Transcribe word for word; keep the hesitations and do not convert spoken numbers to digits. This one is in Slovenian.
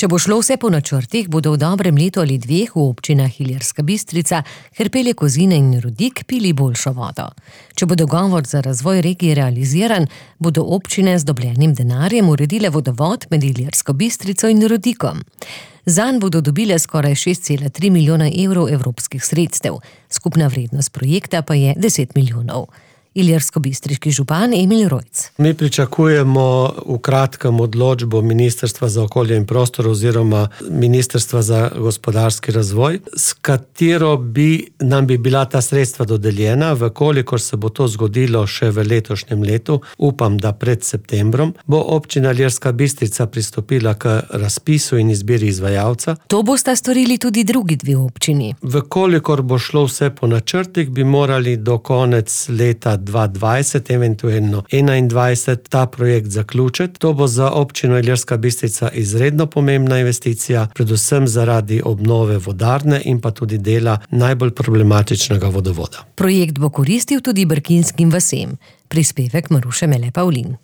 Če bo šlo vse po načrtih, bodo v dobrem letu ali dveh v občinah Ilirska Bistrica, Hrpelje, Kozine in Rodik pili boljšo vodo. Če bo dogovor za razvoj regije realiziran, bodo občine z dobljenim denarjem uredile vodovod med Ilirsko Bistrico in Rodikom. Zanj bodo dobile skoraj šest cela tri milijona evrov evropskih sredstev, skupna vrednost projekta pa je deset milijonov. Ilirsko-bistriški župan Emil Rojc. Mi pričakujemo v kratkem odločbo Ministrstva za okolje in prostor oziroma Ministrstva za gospodarski razvoj, s katero bi nam bi bila ta sredstva dodeljena, vkolikor se bo to zgodilo še v letošnjem letu, upam, da pred septembrom, bo občina Ilirska Bistrica pristopila k razpisu in izbiri izvajalca. To bosta storili tudi drugi dve občini. Vkolikor bo šlo vse po načrtih, bi morali do konec leta dva dvajset, eventualno enaindvajset, ta projekt zaključiti. To bo za občino Ilirska Bistrica izredno pomembna investicija, predvsem zaradi obnove vodarne in pa tudi dela najbolj problematičnega vodovoda. Projekt bo koristil tudi brkinskim vasem. Prispevek Maruše Mele Pavlin.